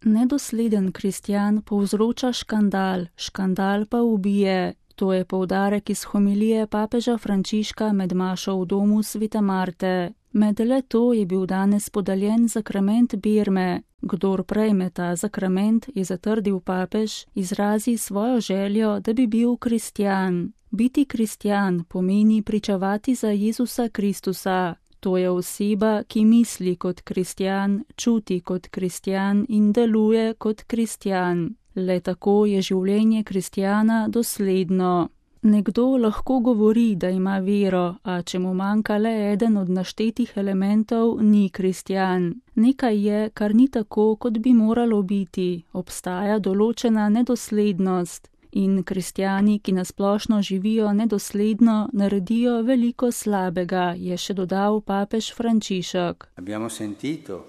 Nedosleden kristjan povzroča škandal, škandal pa ubije. To je poudarek iz homilije papeža Frančiška med mašo v domu Svete Marte. Med le to je bil danes podeljen zakrament birme. Kdor prejme ta zakrament, je zatrdil papež, izrazi svojo željo, da bi bil kristjan. Biti kristjan pomeni pričevati za Jezusa Kristusa. To je oseba, ki misli kot kristjan, čuti kot kristjan in deluje kot kristjan. Le tako je življenje kristjana dosledno. Nekdo lahko govori, da ima vero, a če mu manjka le eden od naštetih elementov, ni kristjan. Nekaj je, kar ni tako, kot bi moralo biti. Obstaja določena nedoslednost. In kristjani, ki nasplošno živijo nedosledno, naredijo veliko slabega, je še dodal papež Frančišek. Abbiamo sentito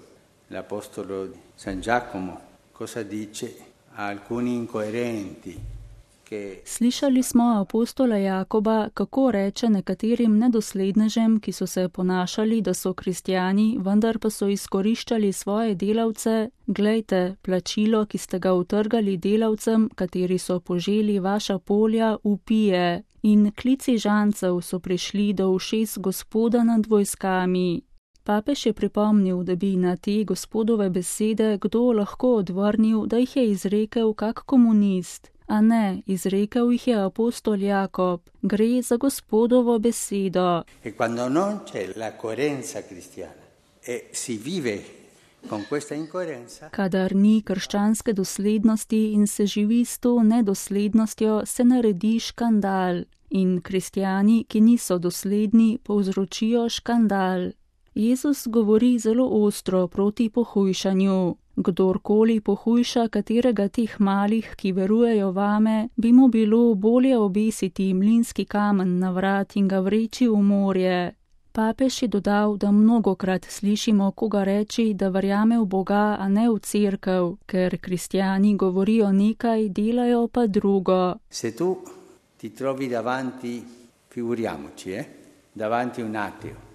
l'apostolo San Giacomo cosa dice a alcuni incoerenti. Slišali smo apostola Jakoba, kako reče nekaterim nedoslednežem, ki so se ponašali, da so kristjani, vendar pa so izkoriščali svoje delavce. Glejte, plačilo, ki ste ga utrgali delavcem, kateri so poželi vaša polja, upije. In klici žancev so prišli do ušes Gospoda nad vojskami. Papež je pripomnil, da bi na te Gospodove besede kdo lahko odvrnil, da jih je izrekel kak komunist. A ne, izrekel jih je apostol Jakob. Gre za Gospodovo besedo. E quando non c'è la coerenza cristiana e si vive con questa incoerenza. Kadar ni krščanske doslednosti in se živi s to nedoslednostjo, se naredi škandal. In kristjani, ki niso dosledni, povzročijo škandal. Jezus govori zelo ostro proti pohujšanju. Kdorkoli pohujša katerega teh malih, ki verujejo vame, bi mu bilo bolje obesiti mlinski kamen na vrat in ga vreči v morje. Papež je dodal, da mnogokrat slišimo koga reči, da verjame v Boga, a ne v cerkev, ker kristjani govorijo nekaj, delajo pa drugo. Se tu ti trovi davanti, figuriamoci, davanti un ateo.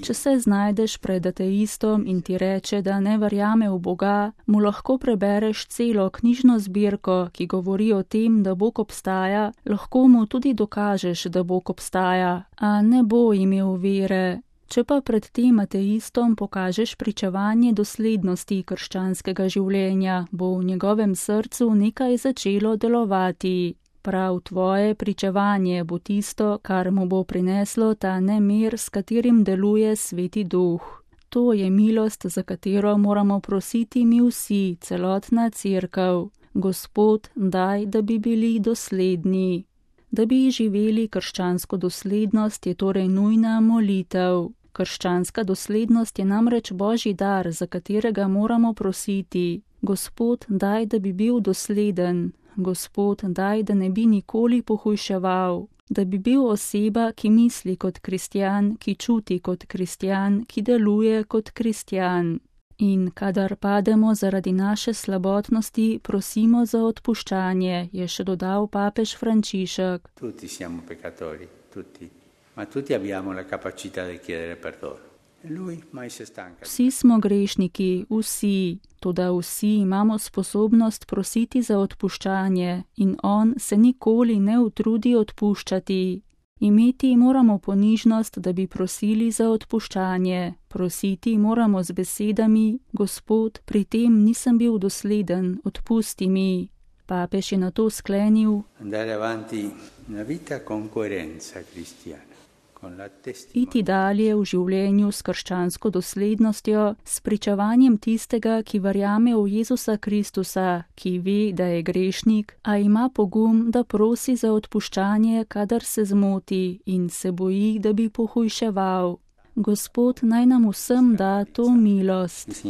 Če se znajdeš pred ateistom in ti reče, da ne verjame v Boga, mu lahko prebereš celo knjižno zbirko, ki govori o tem, da Bog obstaja, lahko mu tudi dokažeš, da Bog obstaja, a ne bo imel vere. Če pa pred tem ateistom pokažeš pričevanje doslednosti krščanskega življenja, bo v njegovem srcu nekaj začelo delovati. Prav tvoje pričevanje bo tisto, kar mu bo prineslo ta nemir, s katerim deluje Sveti Duh. To je milost, za katero moramo prositi mi vsi, celotna cerkev. Gospod, daj, da bi bili dosledni. Da bi živeli krščansko doslednost, je torej nujna molitev. Krščanska doslednost je namreč Božji dar, za katerega moramo prositi. Gospod, daj, da bi bil dosleden. Gospod, daj, da ne bi nikoli pohujševal, da bi bil oseba, ki misli kot kristjan, ki čuti kot kristjan, ki deluje kot kristjan. In kadar pademo zaradi naše slabotnosti, prosimo za odpuščanje, je še dodal papež Frančišek. Tutti siamo peccatori, tutti, ma tutti abbiamo la capacità di chiedere perdono. Vsi smo grešniki, vsi, toda vsi imamo sposobnost prositi za odpuščanje in on se nikoli ne utrudi odpuščati. Imeti moramo ponižnost, da bi prosili za odpuščanje. Prositi moramo z besedami: Gospod, pri tem nisem bil dosleden, odpusti mi. Papež je nato sklenil: Andare avanti una vita con coerenza cristiana. Iti dalje v življenju s krščansko doslednostjo, s pričevanjem tistega, ki verjame v Jezusa Kristusa, ki ve, da je grešnik, a ima pogum, da prosi za odpuščanje, kadar se zmoti in se boji, da bi pohujševal. Gospod naj nam vsem da to milost.